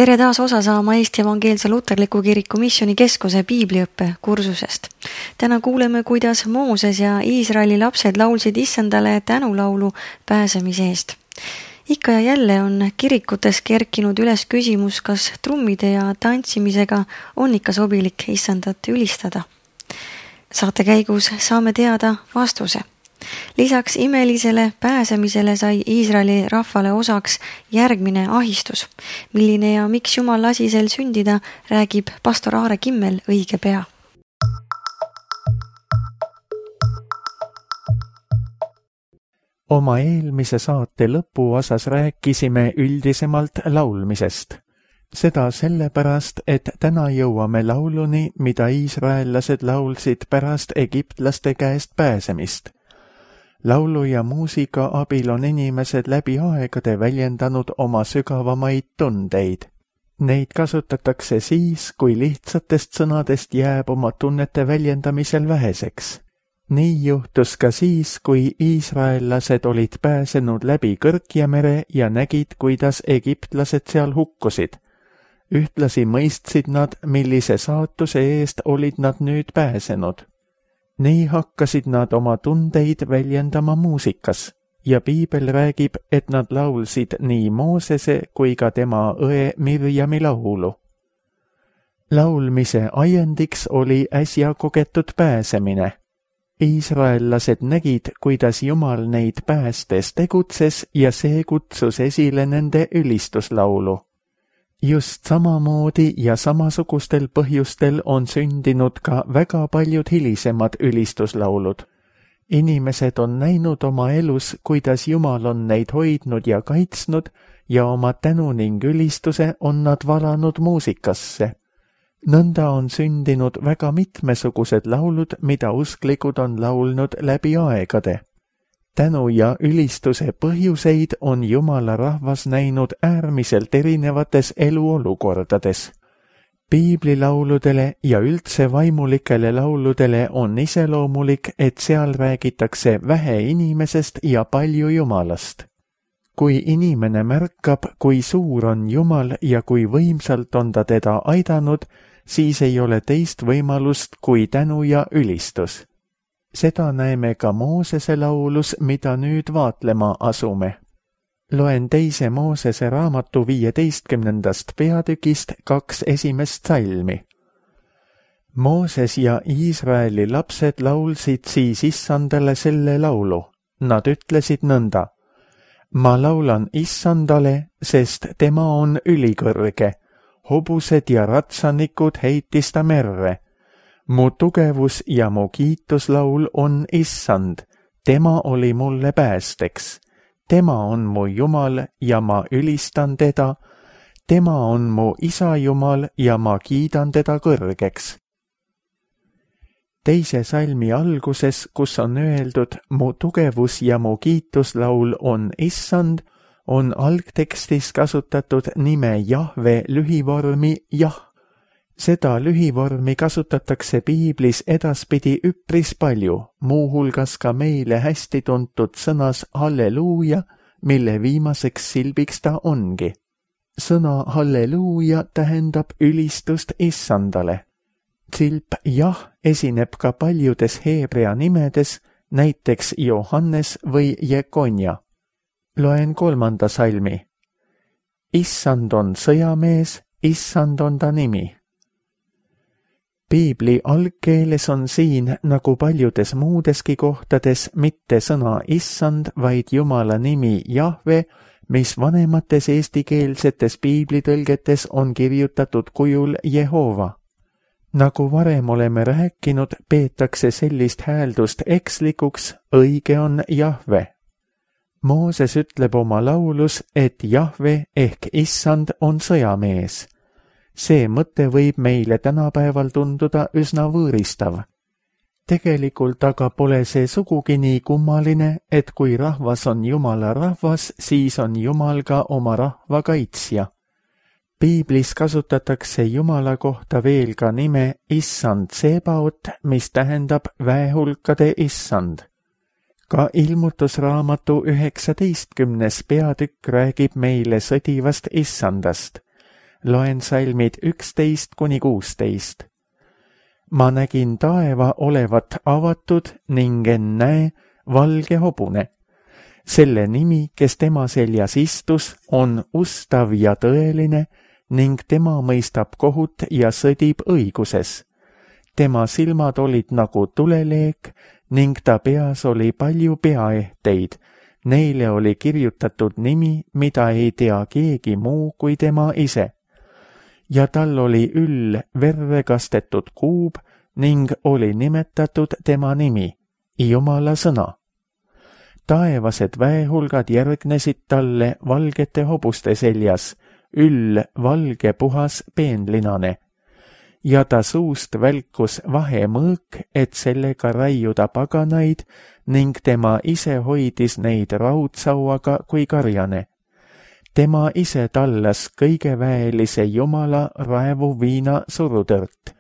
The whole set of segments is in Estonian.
Tere taas osa saama Eesti Evangeelse Luterliku Kiriku Missioni Keskuse piibliõppe kursusest. Täna kuuleme, kuidas Mooses ja Iisraeli lapsed laulsid Issandale tänulaulu pääsemise eest. Ikka ja jälle on kirikutes kerkinud üles küsimus, kas trummide ja tantsimisega on ikka sobilik Issandat ülistada. Saate käigus saame teada vastuse. Lisaks imelisele pääsemisele sai Iisraeli rahvale osaks järgmine ahistus. Milline ja miks Jumal lasi sel sündida, räägib pastor Aare Kimmel õige pea. Oma eelmise saate lõpuosas rääkisime üldisemalt laulmisest. Seda sellepärast, et täna jõuame lauluni, mida iisraellased laulsid pärast egiptlaste käest pääsemist. Laulu ja muusika abil on inimesed läbi aegade väljendanud oma sügavamaid tundeid. Neid kasutatakse siis, kui lihtsatest sõnadest jääb oma tunnete väljendamisel väheseks. Nii juhtus ka siis, kui iisraellased olid pääsenud läbi Kõrkja mere ja nägid, kuidas egiptlased seal hukkusid. Ühtlasi mõistsid nad, millise saatuse eest olid nad nüüd pääsenud. Nii hakkasid nad oma tundeid väljendama muusikas ja piibel räägib, et nad laulsid nii Moosese kui ka tema õe Mirjami laulu. Laulmise ajendiks oli äsja kogetud pääsemine. Iisraellased nägid, kuidas Jumal neid päästes tegutses ja see kutsus esile nende ülistuslaulu. Just samamoodi ja samasugustel põhjustel on sündinud ka väga paljud hilisemad ülistuslaulud. Inimesed on näinud oma elus, kuidas Jumal on neid hoidnud ja kaitsnud ja oma tänu ning ülistuse on nad valanud muusikasse. Nõnda on sündinud väga mitmesugused laulud, mida usklikud on laulnud läbi aegade. Tänu ja ülistuse põhjuseid on Jumala rahvas näinud äärmiselt erinevates eluolukordades. Piiblilauludele ja üldse vaimulikele lauludele on iseloomulik, et seal räägitakse vähe inimesest ja palju Jumalast. Kui inimene märkab, kui suur on Jumal ja kui võimsalt on ta teda aidanud, siis ei ole teist võimalust kui tänu ja ülistus. Seda näeme ka Moosese laulus, mida nüüd vaatlema asume. Loen 2. Moosese raamatu 15. peatükist 2 esimest salmi. Mooses ja Iisraeli lapsed laulsid siis Issandale selle laulu. Nad ütlesid nõnda: Ma laulan Issandale, sest tema on ülikõrge. Hobused ja ratsanikud heitis ta merre. Mu tugevus ja mu kiituslaul on Issand, tema oli mulle päästeks. Tema on mu Jumal ja ma ülistan teda, tema on mu isa Jumal ja ma kiidan teda kõrgeks. 2. salmi alguses, kus on öeldud mu tugevus ja mu kiituslaul on Issand, on algtekstis kasutatud nime Jahve lühivormi Jah. Seda lühivormi kasutatakse piiblis edaspidi üpris palju, muuhulgas ka meile hästi tuntud sõnas halleluuja, mille viimaseks silbiks ta ongi. Sõna halleluuja tähendab ülistust Issandale. Silp jah esineb ka paljudes heebrea nimedes, näiteks Johannes või Jekonja. Loen 3. salmi. Issand on sõjamees, Issand on ta nimi. Piibli algkeeles on siin, nagu paljudes muudeski kohtades, mitte sõna Issand, vaid Jumala nimi Jahve, mis vanemates eestikeelsetes piiblitõlgetes on kirjutatud kujul Jehova. Nagu varem oleme rääkinud, peetakse sellist hääldust ekslikuks, õige on Jahve. Mooses ütleb oma laulus, et Jahve ehk Issand on sõjamees. See mõte võib meile tänapäeval tunduda üsna võõristav. Tegelikult aga pole see sugugi nii kummaline, et kui rahvas on Jumala rahvas, siis on Jumal ka oma rahva kaitsja. Piiblis kasutatakse Jumala kohta veel ka nime Issand Sebaot, mis tähendab väehulkade Issand. Ka ilmutusraamatu 19. peatükk räägib meile sõdivast Issandast. Loen salmid 11-16. Ma nägin taeva olevat avatud ning ennäe valge hobune. Selle nimi, kes tema seljas istus, on ustav ja tõeline ning tema mõistab kohut ja sõdib õiguses. Tema silmad olid nagu tuleleek ning ta peas oli palju peaehteid. Neile oli kirjutatud nimi, mida ei tea keegi muu kui tema ise. Ja tal oli üll verre kastetud kuub ning oli nimetatud tema nimi, Jumala sõna. Taevased väehulgad järgnesid talle valgete hobuste seljas, üll valge puhas peenlinane. Ja ta suust välkus vahemõõk, et sellega raiuda paganaid ning tema ise hoidis neid raudsauaga kui karjane. Tema ise tallas kõige väelise Jumala raevuviina surutõrt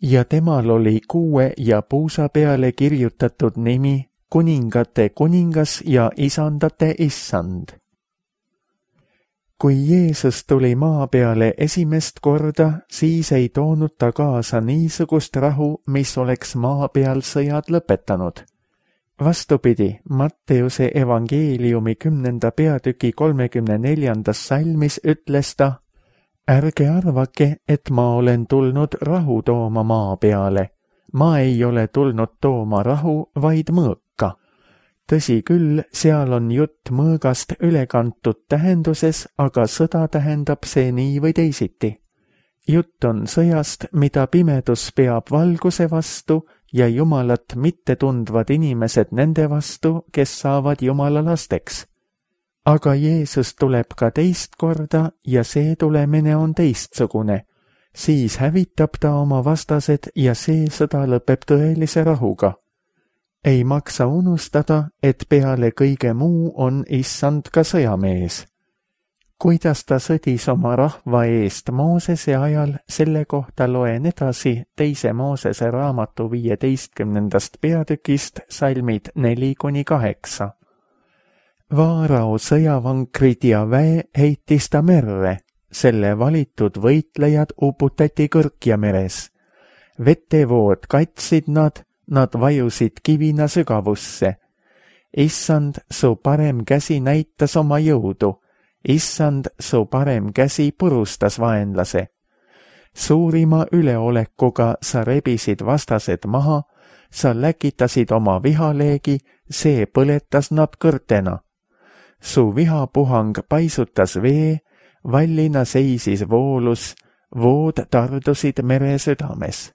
ja temal oli 6 ja puusa peale kirjutatud nimi kuningate kuningas ja isandate issand. Kui Jeesus tuli maa peale esimest korda, siis ei toonud ta kaasa niisugust rahu, mis oleks maa peal sõjad lõpetanud. Vastupidi, Matteuse evangeeliumi 10. peatüki 34. salmis ütles ta: Ärge arvake, et ma olen tulnud rahu tooma maa peale. Ma ei ole tulnud tooma rahu, vaid mõõka. Tõsi küll, seal on jutt mõõgast ülekantud tähenduses, aga sõda tähendab see nii või teisiti. Jutt on sõjast, mida pimedus peab valguse vastu ja Jumalat mitte tundvad inimesed nende vastu, kes saavad Jumala lasteks. Aga Jeesus tuleb ka teist korda ja see tulemine on teistsugune. Siis hävitab ta oma vastased ja see sõda lõpeb tõelise rahuga. Ei maksa unustada, et peale kõige muu on issand ka sõjamees. Kuidas ta sõdis oma rahva eest Moosese ajal, selle kohta loen edasi 2. Moosese raamatu 15. peatükist salmid 4-8. Vaarao sõjavankrid ja väe heitis ta merre, selle valitud võitlejad uputati Kõrkja meres. Vetevood katsid nad vajusid kivina sügavusse. Issand, su parem käsi näitas oma jõudu. Issand, su parem käsi purustas vaenlase. Suurima üleolekuga sa rebisid vastased maha, sa läkitasid oma vihaleegi, see põletas nad kõrtena. Su vihapuhang paisutas vee, vallina seisis voolus, vood tardusid mere südames.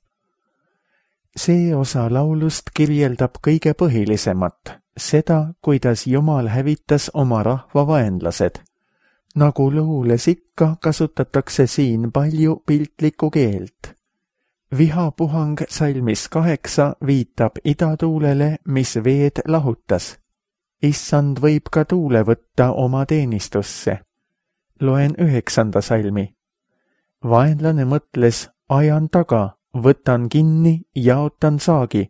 See osa laulust kirjeldab kõige põhilisemat, seda, kuidas Jumal hävitas oma rahva vaenlased. Nagu luules ikka, kasutatakse siin palju piltlikku keelt. Vihapuhang salmis 8 viitab idatuulele, mis veed lahutas. Issand võib ka tuule võtta oma teenistusse. Loen 9. salmi. Vaenlane mõtles, ajan taga, võtan kinni, jaotan saagi.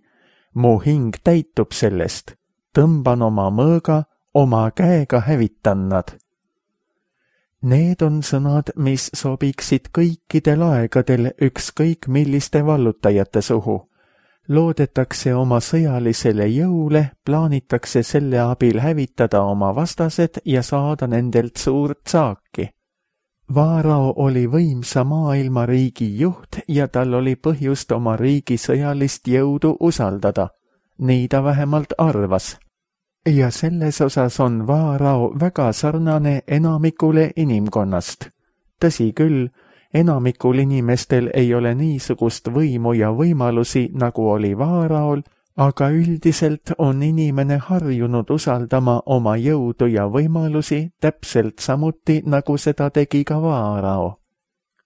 Mu hing täitub sellest. Tõmban oma mõõga, oma käega hävitan nad. Need on sõnad, mis sobiksid kõikidel aegadel ükskõik milliste vallutajate suhu. Loodetakse oma sõjalisele jõule, plaanitakse selle abil hävitada oma vastased ja saada nendelt suurt saaki. Vaarao oli võimsa maailmariigi juht ja tal oli põhjust oma riigi sõjalist jõudu usaldada. Nii ta vähemalt arvas. Ja selles osas on Vaarao väga sarnane enamikule inimkonnast. Tõsi küll, enamikul inimestel ei ole niisugust võimu ja võimalusi, nagu oli Vaaraol, aga üldiselt on inimene harjunud usaldama oma jõudu ja võimalusi täpselt samuti, nagu seda tegi ka Vaarao.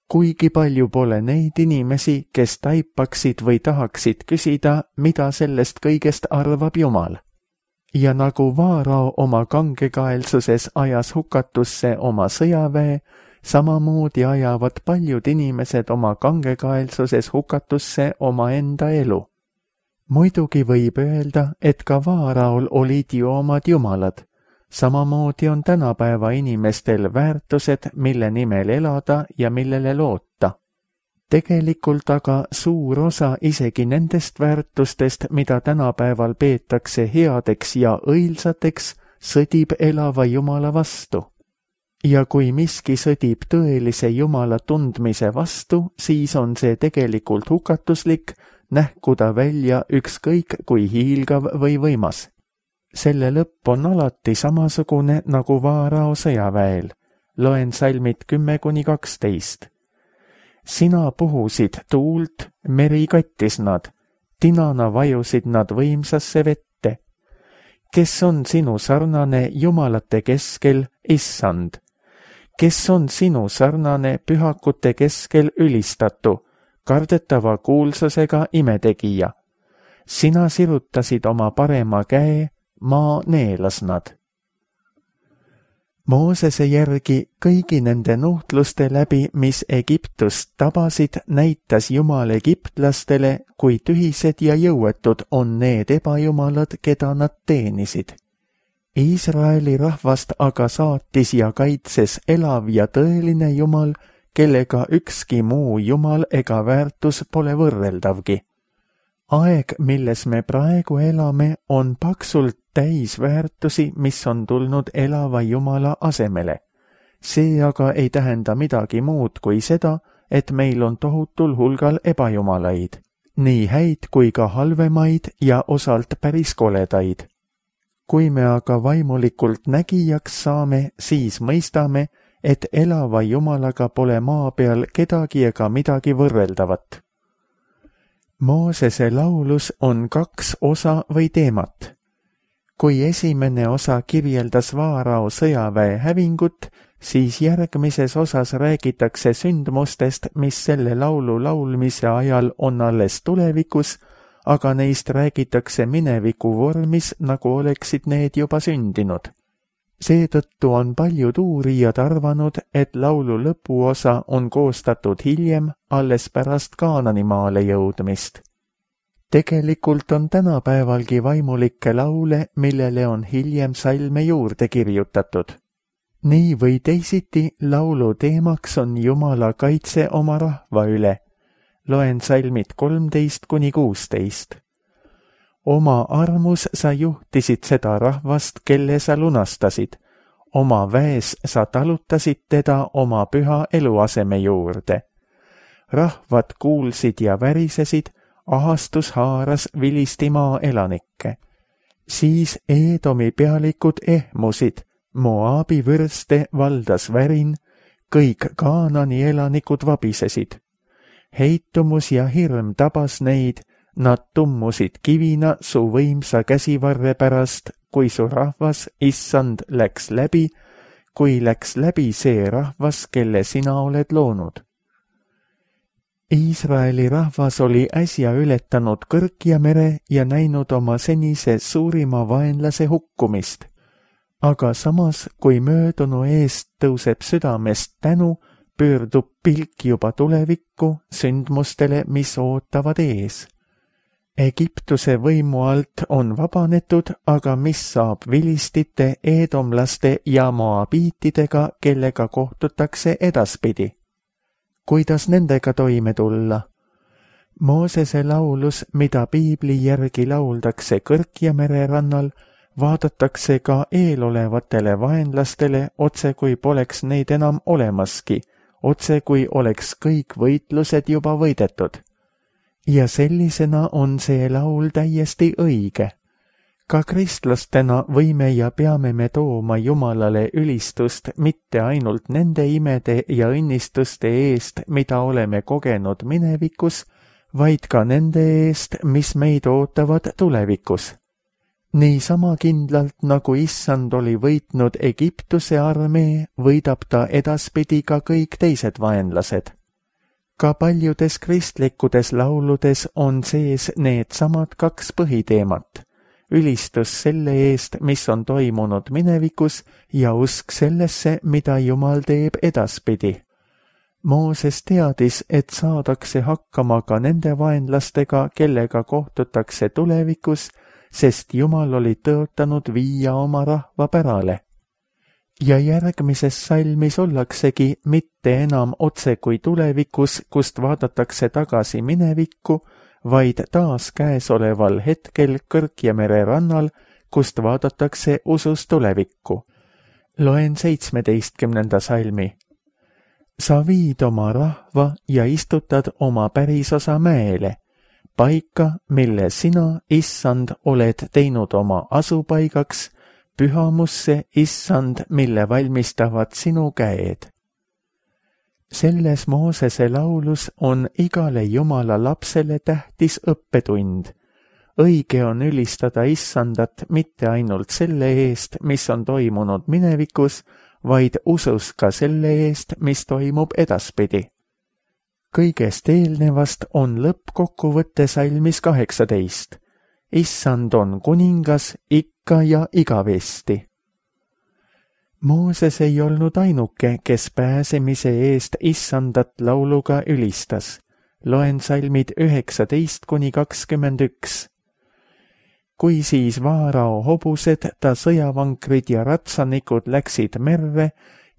Kuigi palju pole neid inimesi, kes taipaksid või tahaksid küsida, mida sellest kõigest arvab Jumal. Ja nagu Vaarao oma kangekaelsuses ajas hukatusse oma sõjaväe, samamoodi ajavad paljud inimesed oma kangekaelsuses hukatusse oma enda elu. Muidugi võib öelda, et ka Vaaraol olid ju omad jumalad. Samamoodi on tänapäeva inimestel väärtused, mille nimel elada ja millele loota. Tegelikult aga suur osa isegi nendest väärtustest, mida tänapäeval peetakse headeks ja õilsateks, sõdib elava Jumala vastu. Ja kui miski sõdib tõelise Jumala tundmise vastu, siis on see tegelikult hukatuslik, nähku ta välja ükskõik kui hiilgav või võimas. Selle lõpp on alati samasugune nagu Vaarao sõjaväel. Loen salmid 10-12. Sina puhusid tuult, meri kattis nad, tinana vajusid nad võimsasse vette. Kes on sinu sarnane jumalate keskel, Issand? Kes on sinu sarnane pühakute keskel ülistatu, kardetava kuulsusega imetegija? Sina sirutasid oma parema käe, maa neelas nad. Moosese järgi kõigi nende nuhtluste läbi, mis Egiptust tabasid, näitas Jumal egiptlastele, kui tühised ja jõuetud on need ebajumalad, keda nad teenisid. Iisraeli rahvast aga saatis ja kaitses elav ja tõeline Jumal, kellega ükski muu Jumal ega väärtus pole võrreldavgi. Aeg, milles me praegu elame, on paksult täis väärtusi, mis on tulnud elava Jumala asemele. See aga ei tähenda midagi muud kui seda, et meil on tohutul hulgal ebajumalaid, nii häid kui ka halvemaid ja osalt päris koledaid. Kui me aga vaimulikult nägijaks saame, siis mõistame, et elava Jumalaga pole maa peal kedagi ega midagi võrreldavat. Moosese laulus on 2 osa või teemat. Kui esimene osa kirjeldas Vaarao sõjaväe hävingut, siis järgmises osas räägitakse sündmustest, mis selle laulu laulmise ajal on alles tulevikus, aga neist räägitakse mineviku vormis, nagu oleksid need juba sündinud. Seetõttu on paljud uurijad arvanud, et laulu lõpuosa on koostatud hiljem, alles pärast Kaananimaale jõudmist. Tegelikult on tänapäevalgi vaimulikke laule, millele on hiljem salme juurde kirjutatud. Nii või teisiti laulu teemaks on Jumala kaitse oma rahva üle. Loen salmid 13-16. Oma armus sa juhtisid seda rahvast, kelle sa lunastasid. Oma väes sa talutasid teda oma püha eluaseme juurde. Rahvad kuulsid ja värisesid, ahastus haaras Vilistimaa elanikke. Siis Eedomi pealikud ehmusid, Moabi vürste valdas värin, kõik Kaanani elanikud vabisesid. Heitumus ja hirm tabas neid, nad tummusid kivina su võimsa käsivarre pärast, kui su rahvas, Issand, läks läbi, kui läks läbi see rahvas, kelle sina oled loonud. Iisraeli rahvas oli äsja ületanud Kõrkja mere ja näinud oma senise suurima vaenlase hukkumist. Aga samas, kui möödunu eest tõuseb südamest tänu, pöördub pilk juba tulevikku sündmustele, mis ootavad ees. Egiptuse võimu alt on vabanetud, aga mis saab vilistite, eedomlaste ja moabiitidega, kellega kohtutakse edaspidi? Kuidas nendega toime tulla? Moosese laulus, mida piibli järgi lauldakse Kõrkja mere rannal, vaadatakse ka eelolevatele vaenlastele, otse kui poleks neid enam olemaski, otse kui oleks kõik võitlused juba võidetud. Ja sellisena on see laul täiesti õige. Ka kristlastena võime ja peame me tooma Jumalale ülistust mitte ainult nende imede ja õnnistuste eest, mida oleme kogenud minevikus, vaid ka nende eest, mis meid ootavad tulevikus. Niisama kindlalt, nagu Issand oli võitnud Egiptuse armee, võidab ta edaspidi ka kõik teised vaenlased. Ka paljudes kristlikkudes lauludes on sees needsamad 2 põhiteemat. Ülistus selle eest, mis on toimunud minevikus ja usk sellesse, mida Jumal teeb edaspidi. Mooses teadis, et saadakse hakkama ka nende vaenlastega, kellega kohtutakse tulevikus, sest Jumal oli tõotanud viia oma rahva pärale. Ja järgmises salmis ollaksegi mitte enam otse kui tulevikus, kust vaadatakse tagasi minevikku, vaid taas käesoleval hetkel Kõrgjamere rannal, kust vaadatakse usus tulevikku. Loen 17. salmi. Sa viid oma rahva ja istutad oma pärisosa mäele, paika, mille sina, issand, oled teinud oma asupaigaks, pühamusse, issand, mille valmistavad sinu käed. Selles Moosese laulus on igale Jumala lapsele tähtis õppetund. Õige on ülistada issandat mitte ainult selle eest, mis on toimunud minevikus, vaid usus ka selle eest, mis toimub edaspidi. Kõigest eelnevast on lõppkokkuvõtte salmis 18. Issand on kuningas ikka ja igavesti. Mooses ei olnud ainuke, kes pääsemise eest issandat lauluga ülistas. Loen salmid 19-21. Kui siis Vaarao hobused, ta sõjavankrid ja ratsanikud läksid merre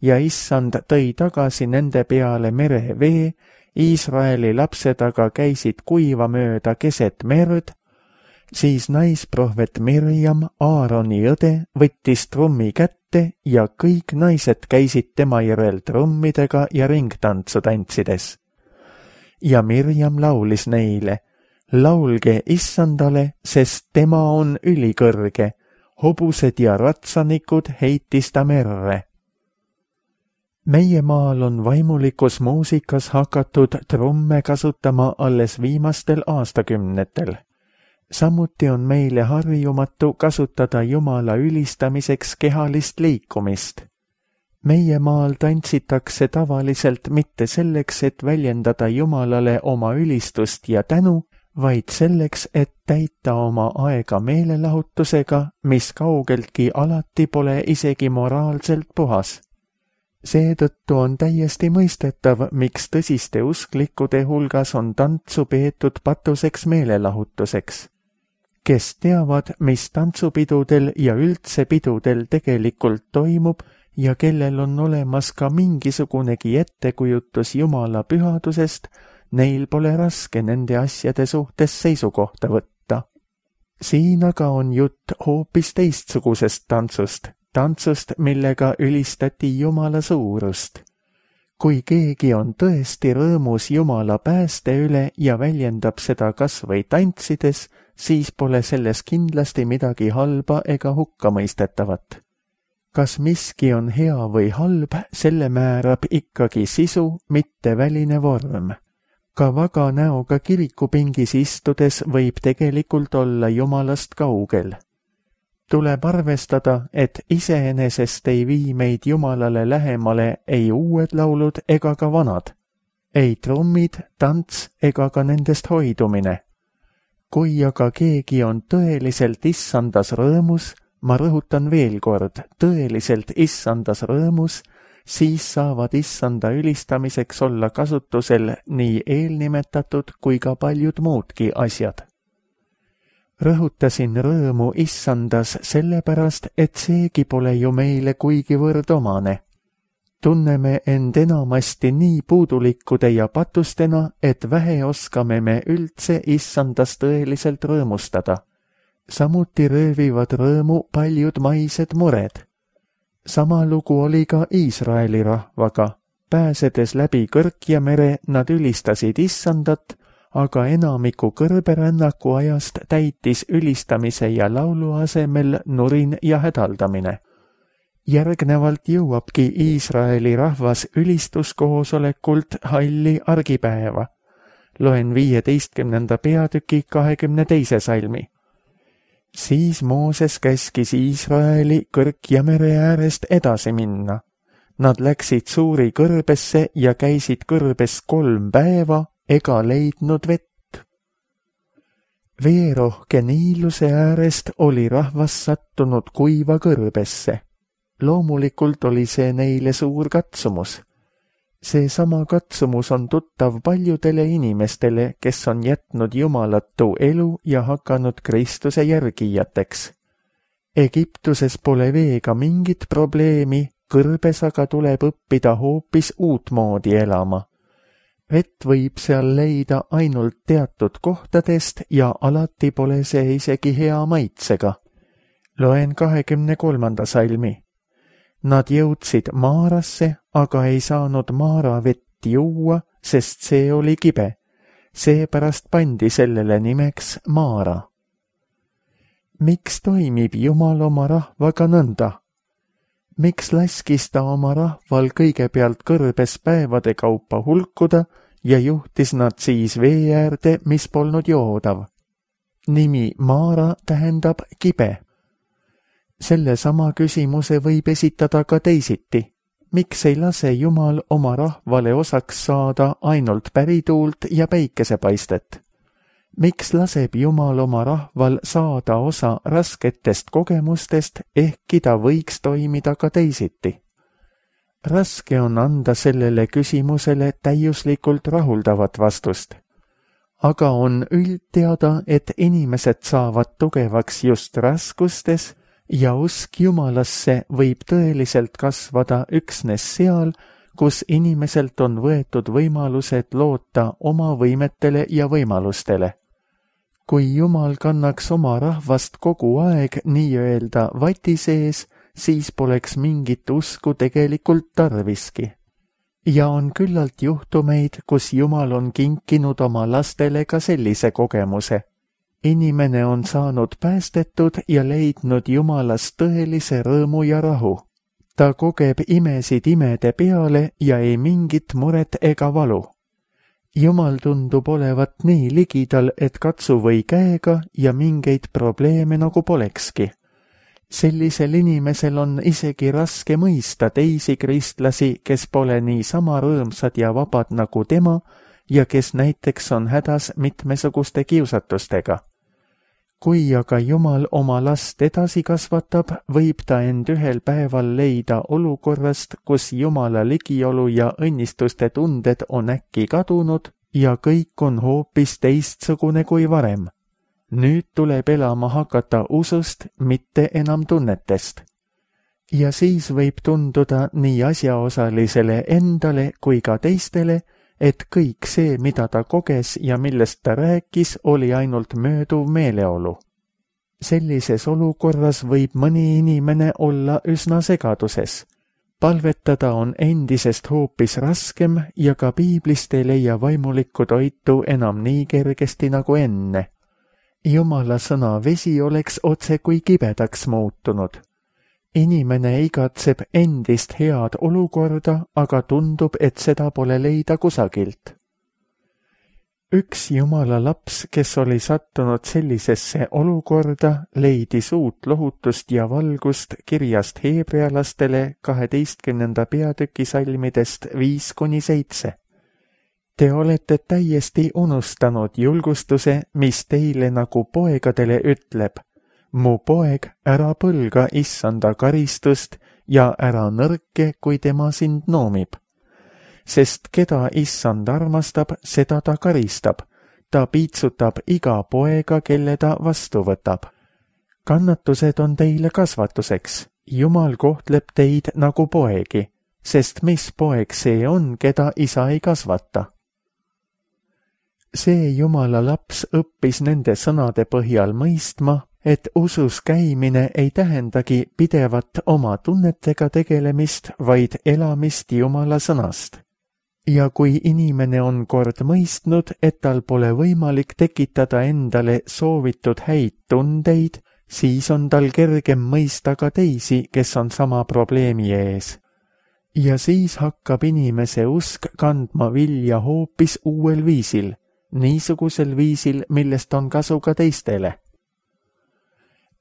ja issand tõi tagasi nende peale merevee, Iisraeli lapsed aga käisid kuiva mööda keset merd, siis naisprohvet Mirjam, Aaroni õde, võttis trummi kätte ja kõik naised käisid tema järel trummidega ja ringtantsu tantsides. Ja Mirjam laulis neile, laulge issandale, sest tema on ülikõrge, hobused ja ratsanikud heitis ta merre. Meie maal on vaimulikus muusikas hakatud trumme kasutama alles viimastel aastakümnetel. Samuti on meile harjumatu kasutada Jumala ülistamiseks kehalist liikumist. Meie maal tantsitakse tavaliselt mitte selleks, et väljendada Jumalale oma ülistust ja tänu, vaid selleks, et täita oma aega meelelahutusega, mis kaugeltki alati pole isegi moraalselt puhas. Seetõttu on täiesti mõistetav, miks tõsiste usklikude hulgas on tantsu peetud patuseks meelelahutuseks. Kes teavad, mis tantsupidudel ja üldse pidudel tegelikult toimub ja kellel on olemas ka mingisugunegi ettekujutus Jumala pühadusest, neil pole raske nende asjade suhtes seisukohta võtta. Siin aga on jutt hoopis teistsugusest tantsust, millega ülistati Jumala suurust. Kui keegi on tõesti rõõmus Jumala pääste üle ja väljendab seda kas või tantsides, siis pole selles kindlasti midagi halba ega hukkamõistetavat. Kas miski on hea või halb, selle määrab ikkagi sisu, mitte väline vorm. Ka vaga näoga kirikupingis istudes võib tegelikult olla Jumalast kaugel. Tuleb arvestada, et iseenesest ei vii meid Jumalale lähemale ei uued laulud ega ka vanad, ei trummid, tants ega ka nendest hoidumine. Kui aga keegi on tõeliselt issandas rõõmus, ma rõhutan veel kord, tõeliselt issandas rõõmus, siis saavad issanda ülistamiseks olla kasutusel nii eelnimetatud kui ka paljud muudki asjad. Rõhutasin rõõmu issandas sellepärast, et seegi pole ju meile kuigivõrd omane. Tunneme end enamasti nii puudulikkude ja patustena, et vähe oskame me üldse issandas tõeliselt rõõmustada. Samuti röövivad rõõmu paljud maised mured. Sama lugu oli ka Iisraeli rahvaga. Pääsedes läbi Kõrgjamere nad ülistasid issandat, aga enamiku kõrberännaku ajast täitis ülistamise ja laulu asemel nurin ja hädaldamine. Järgnevalt jõuabki Iisraeli rahvas ülistuskoosolekult halli argipäeva. Loen 15. peatüki 22. salmi. Siis Mooses käskis Iisraeli Kõrgjamere äärest edasi minna. Nad läksid suuri kõrbesse ja käisid kõrbes 3 päeva, ega leidnud vett. Veerohke Niiluse äärest oli rahvas sattunud kuiva kõrbesse. Loomulikult oli see neile suur katsumus. Seesama katsumus on tuttav paljudele inimestele, kes on jätnud jumalatu elu ja hakanud Kristuse järgijateks. Egiptuses pole veega mingit probleemi, kõrbes aga tuleb õppida hoopis uutmoodi elama. Vett võib seal leida ainult teatud kohtadest ja alati pole see isegi hea maitsega. Loen 23. salmi. Nad jõudsid Maarasse, aga ei saanud Maara vett juua, sest see oli kibe. Seepärast pandi sellele nimeks Maara. Miks toimib Jumal oma rahvaga nõnda? Miks laskis ta oma rahval kõigepealt kõrbes päevade kaupa hulkuda ja juhtis nad siis vee äärde, mis polnud joodav? Nimi Maara tähendab kibe. Sellesama küsimuse võib esitada ka teisiti. Miks ei lase Jumal oma rahvale osaks saada ainult pärituult ja päikesepaistet? Miks laseb Jumal oma rahval saada osa rasketest kogemustest, ehkki ta võiks toimida ka teisiti? Raske on anda sellele küsimusele täiuslikult rahuldavat vastust. Aga on üldteada, et inimesed saavad tugevaks just raskustes ja usk Jumalasse võib tõeliselt kasvada üksnes seal, kus inimeselt on võetud võimalused loota oma võimetele ja võimalustele. Kui Jumal kannaks oma rahvast kogu aeg nii-öelda vati sees, siis poleks mingit usku tegelikult tarviski. Ja on küllalt juhtumeid, kus Jumal on kinkinud oma lastele ka sellise kogemuse. Inimene on saanud päästetud ja leidnud Jumalast tõelise rõõmu ja rahu. Ta kogeb imesid imede peale ja ei mingit muret ega valu. Jumal tundub olevat nii ligidal, et katsu või käega ja mingeid probleeme nagu polekski. Sellisel inimesel on isegi raske mõista teisi kristlasi, kes pole niisama rõõmsad ja vabad nagu tema ja kes näiteks on hädas mitmesuguste kiusatustega. Kui aga Jumal oma last edasi kasvatab, võib ta end ühel päeval leida olukorrast, kus Jumala ligiolu ja õnnistuste tunded on äkki kadunud ja kõik on hoopis teistsugune kui varem. Nüüd tuleb elama hakata usust, mitte enam tunnetest. Ja siis võib tunduda nii asjaosalisele endale kui ka teistele, et kõik see, mida ta koges ja millest ta rääkis, oli ainult mööduv meeleolu. Sellises olukorras võib mõni inimene olla üsna segaduses. Palvetada on endisest hoopis raskem ja ka piiblist ei leia vaimulikku toitu enam nii kergesti nagu enne. Jumala sõna vesi oleks otse kui kibedaks muutunud. Inimene igatseb endist head olukorda, aga tundub, et seda pole leida kusagilt. Üks Jumala laps, kes oli sattunud sellisesse olukorda, leidis uut lohutust ja valgust kirjast heebrealastele 12. peatüki salmidest 5-7. Te olete täiesti unustanud julgustuse, mis teile nagu poegadele ütleb. Mu poeg, ära põlga issanda karistust ja ära nõrke, kui tema sind noomib. Sest keda issand armastab, seda ta karistab. Ta piitsutab iga poega, kelle ta vastu võtab. Kannatused on teile kasvatuseks. Jumal kohtleb teid nagu poegi, sest mis poeg see on, keda isa ei kasvata? See Jumala laps õppis nende sõnade põhjal mõistma, et usus käimine ei tähendagi pidevat oma tunnetega tegelemist, vaid elamist Jumala sõnast. Ja kui inimene on kord mõistnud, et tal pole võimalik tekitada endale soovitud häid tundeid, siis on tal kergem mõista ka teisi, kes on sama probleemi ees. Ja siis hakkab inimese usk kandma vilja hoopis uuel viisil, niisugusel viisil, millest on kasu ka teistele.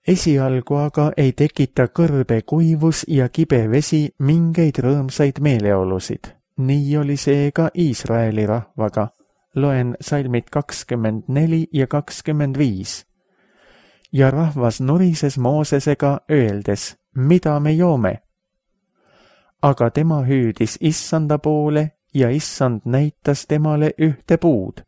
Esialgu aga ei tekita kõrbe kuivus ja kibe vesi mingeid rõõmsaid meeleolusid. Nii oli see ka Iisraeli rahvaga. Loen salmid 24 ja 25. Ja rahvas nurises Moosesega öeldes, mida me joome? Aga tema hüüdis issanda poole ja issand näitas temale ühte puud.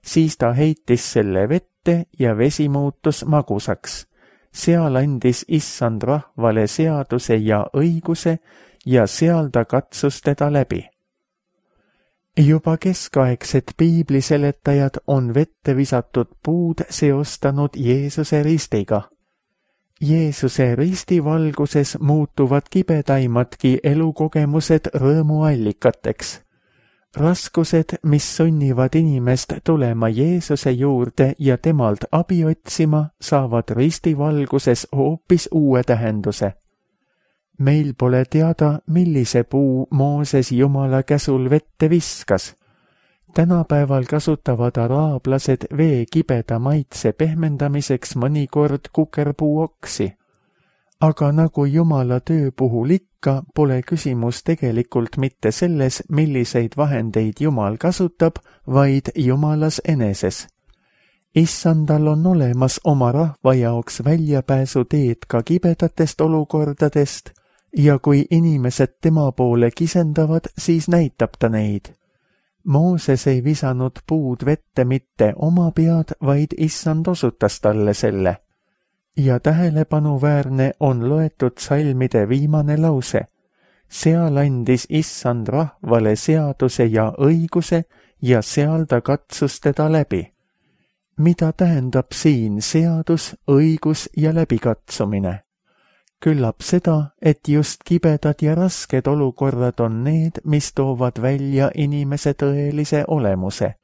Siis ta heitis selle vette ja vesi muutus magusaks. Seal andis issand rahvale seaduse ja õiguse ja seal ta katsus teda läbi. Juba keskaegsed piibliseletajad on vette visatud puud seostanud Jeesuse ristiga. Jeesuse risti valguses muutuvad kibedaimadki elukogemused rõõmuallikateks. Raskused, mis sunnivad inimest tulema Jeesuse juurde ja temalt abi otsima, saavad risti valguses hoopis uue tähenduse. Meil pole teada, millise puu Mooses Jumala käsul vette viskas. Tänapäeval kasutavad araablased vee kibeda maitse pehmendamiseks mõnikord kukerpuuoksi. Aga nagu Jumala töö puhul ikka, pole küsimus tegelikult mitte selles, milliseid vahendeid Jumal kasutab, vaid Jumalas eneses. Issandal on olemas oma rahva jaoks väljapääsuteed ka kibedatest olukordadest ja kui inimesed tema poole kisendavad, siis näitab ta neid. Mooses ei visanud puud vette mitte oma pead, vaid issand osutas talle selle. Ja tähelepanuväärne on loetud salmide viimane lause. Seal andis issand rahvale seaduse ja õiguse ja seal ta katsus teda läbi. Mida tähendab siin seadus, õigus ja läbikatsumine? Küllap seda, et just kibedad ja rasked olukorrad on need, mis toovad välja inimese tõelise olemuse.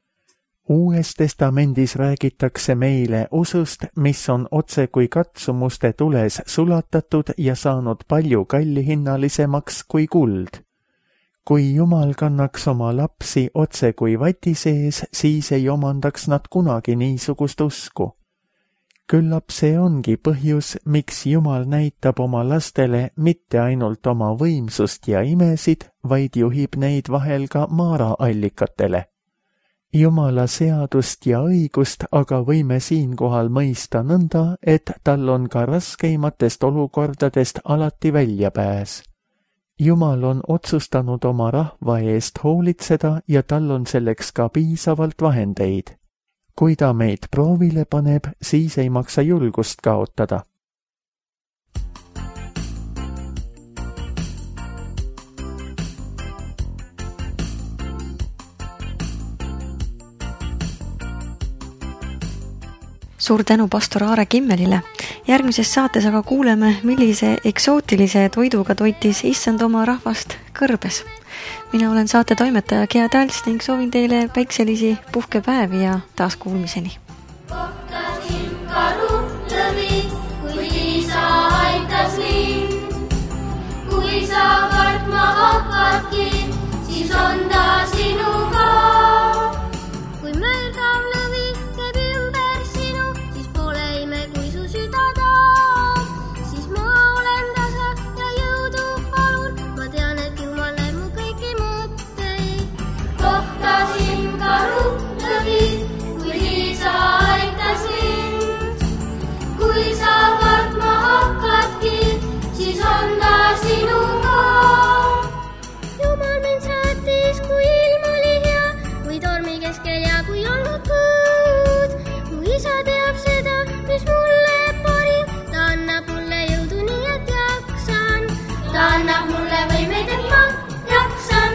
Uues testamendis räägitakse meile usust, mis on otse kui katsumuste tules sulatatud ja saanud palju kallihinnalisemaks kui kuld. Kui Jumal kannaks oma lapsi otse kui vati sees, siis ei omandaks nad kunagi niisugust usku. Küllap see ongi põhjus, miks Jumal näitab oma lastele mitte ainult oma võimsust ja imesid, vaid juhib neid vahel ka maaraallikatele. Jumala seadust ja õigust aga võime siinkohal mõista nõnda, et tal on ka raskeimatest olukordadest alati väljapääs. Jumal on otsustanud oma rahva eest hoolitseda ja tal on selleks ka piisavalt vahendeid. Kui ta meid proovile paneb, siis ei maksa julgust kaotada. Suur tänu pastor Aare Kimmelile. Järgmises saates aga kuuleme, millise eksootilise toiduga toitis issand oma rahvast kõrbes. Mina olen saate toimetaja Gea Tälts ning soovin teile päikselisi puhkepäevi ja taas kuulmiseni. Kohtasin karulõvi, kui Liisa aitas lind. Kui sa kartma hakkadki, siis on ta sinuga. Kui mölgav lõvi käib ümber sinu, siis pole ime, kui su süda tahab. Siis ma olen tasa ja jõudu palun, ma tean, et Jumal näeb mu kõiki mõtteid. Kohtasin karulõvi, kui Liisa aitas lind. Kui sa kartma hakkadki, siis on ta sinuga. Jumal mind saatis, kui ilm oli hea, kui tormi keskel ja kui olnud põud. Mu isa teab seda, mis mulle parim, ta annab mulle jõudu nii, et jaksan. Ta annab mulle võimeid, et ma jaksan.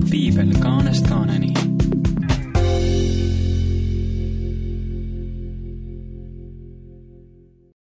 Piibel kaanest kaaneni.